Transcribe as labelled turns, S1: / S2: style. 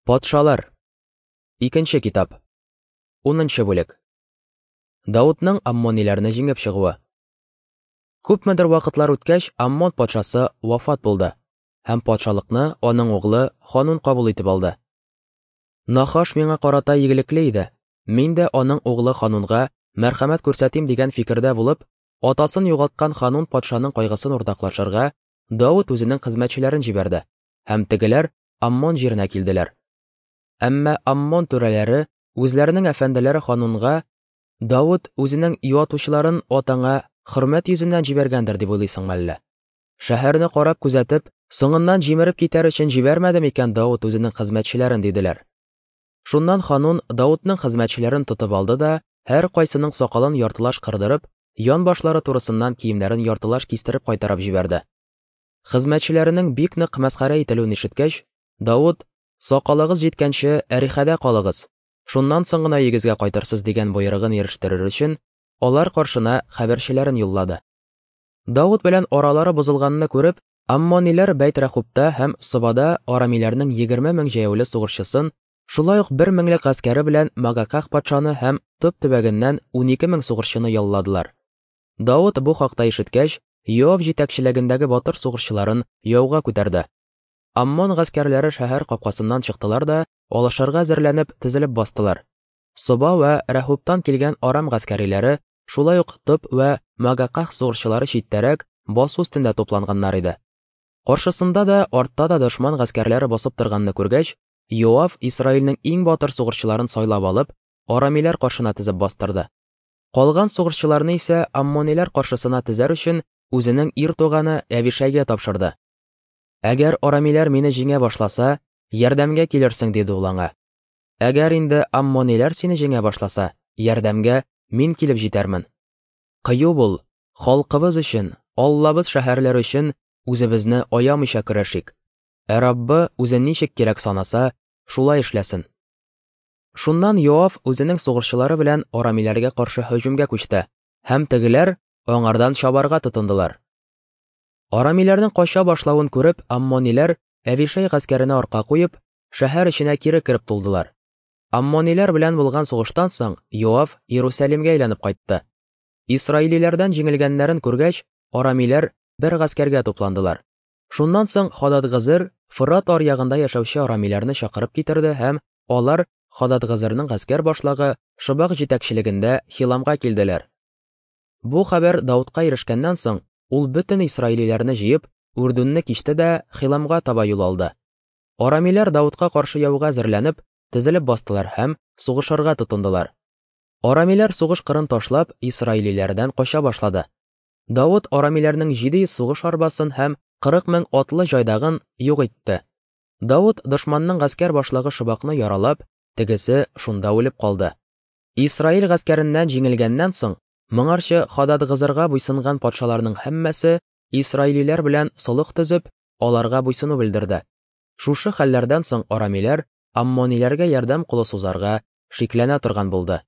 S1: Патшалар. Икенче китап. 10 бүлек. Даутның аммониләрне җиңеп чыгуы. Күпмедер вакытлар үткәч, Аммон патшасы вафат булды, һәм патшалыкны аның углы Ханун кабул итеп алды. Нахаш миңа карата игелекле иде. Мин дә аның углы Ханунга мәрхәмәт күрсәтим дигән фикердә булып, атасын югалткан Ханун патшаның кайгысын уртаклашырга Давыт үзенең хезмәтчеләрен җибәрде, һәм тегеләр Аммон җиренә килделәр. Әмма Аммон түрәләре үзләренең әфәнделәре Ханунга Давыт үзенең юатучыларын атаңа хөрмәт йөзеннән җибәргәндер дип уйлыйсыңмы әллә? Шәһәрне карап күзәтеп, соңыннан җимереп китәр өчен җибәрмәде микән Давыт үзенең хезмәтчеләрен, диделәр. Шуннан Ханун Давытның хезмәтчеләрен тотып алды да, һәркайсының сакалын яртылаш кырдырып, янбашлары турысыннан киемнәрен яртылаш кистереп кайтарып җибәрде. Хезмәтчеләренең бик нык мәсхәрә ителүен ишеткәч, Давыт, Сакалыгыз җиткәнче Әрихәдә калыгыз, шуннан соң гына өегезгә кайтырсыз дигән боерыгын ирештерер өчен, алар каршына хәбәрчеләрен юллады. Давыт белән аралары бозылганны күреп, аммониләр Бәйт-Рәхубта һәм Собада арамиләрнең 20 мең җәяүле сугышчысын, шулай ук 1 меңлек гаскәре белән Магаках патшаны һәм Топ төбәгеннән 12 мең сугышчыны ялладылар. Давыт бу хакта ишеткәч, Йоав җитәкчелегендәге батыр сугышчыларын яуга күтәрде. Аммон гаскәрләре шәһәр капкасыннан чыктылар да, алышырга әзерләнеп, тезелеп бастылар. Соба вә Рәхубтан килгән Арам гаскәриләре, шулай ук Топ вә Магаках сугышчылары читтәрәк, басу өстендә тупланганнар иде. Каршысында да, артта да дошман гаскәрләре басып торганны күргәч, Йоав Исраилнең иң батыр сугышчыларын сайлап алып, арамиләр каршына тезеп бастырды. Калган сугышчыларны исә аммониләр каршысына тезәр өчен үзенең ир туганы Әвишәйгә тапшырды. Әгәр арамиләр мине җиңә башласа, ярдәмгә килерсең, диде ул аңа. Әгәр инде аммониләр сине җиңә башласа, ярдәмгә мин килеп җитәрмен. Кыю бул, халкыбыз өчен, Аллабыз шәһәрләре өчен үзебезне аямыйча көрәшик. Ә Раббы үзе ничек кирәк санаса, шулай эшләсен. Шуннан Йоав үзенең сугышчылары белән арамиләргә каршы һөҗүмгә күчте, һәм тегеләр аңардан чабарга тотындылар. Арамиләрнең кача башлавын күреп, аммониләр Әвишәй гаскәренә арка куеп, шәһәр эченә кире кереп тулдылар. Аммониләр белән булган сугыштан соң Йоав Иерусалимгә әйләнеп кайтты. Исраилиләрдән җиңелгәннәрен күргәч, арамиләр бер гаскәргә тупландылар. Шуннан соң Хададгызыр Фырат аръягында яшәүче арамиләрне чакырып китерде һәм алар Хададгызырның гаскәр башлыгы Шобак җитәкчелегендә Хиламга килделәр. Бу хәбәр Даутка ирешкәннән соң, ул бөтен исраилиләрне җыеп, Үрдүнне кичте дә Хиламга таба юл алды. Арамиләр Даутка каршы яуга әзерләнеп, тезелеп бастылар һәм сугышырга тотындылар. Арамиләр сугыш кырын ташлап, исраилиләрдән кача башлады. Давыт арамиләрнең 700 сугыш арбасын һәм 40 мең атлы җайдагын юк итте. Давыт дошманның гаскәр башлыгы Шобакны яралап, тегесе шунда үлеп калды. Исраил гаскәреннән җиңелгәннән соң, моңарчы Хададгызырга буйсынган патшаларның һәммәсе исраилиләр белән солых төзеп, аларга буйсыну белдерде. Шушы хәлләрдән соң арамиләр аммониләргә ярдәм кулы сузарга шикләнә торган булды.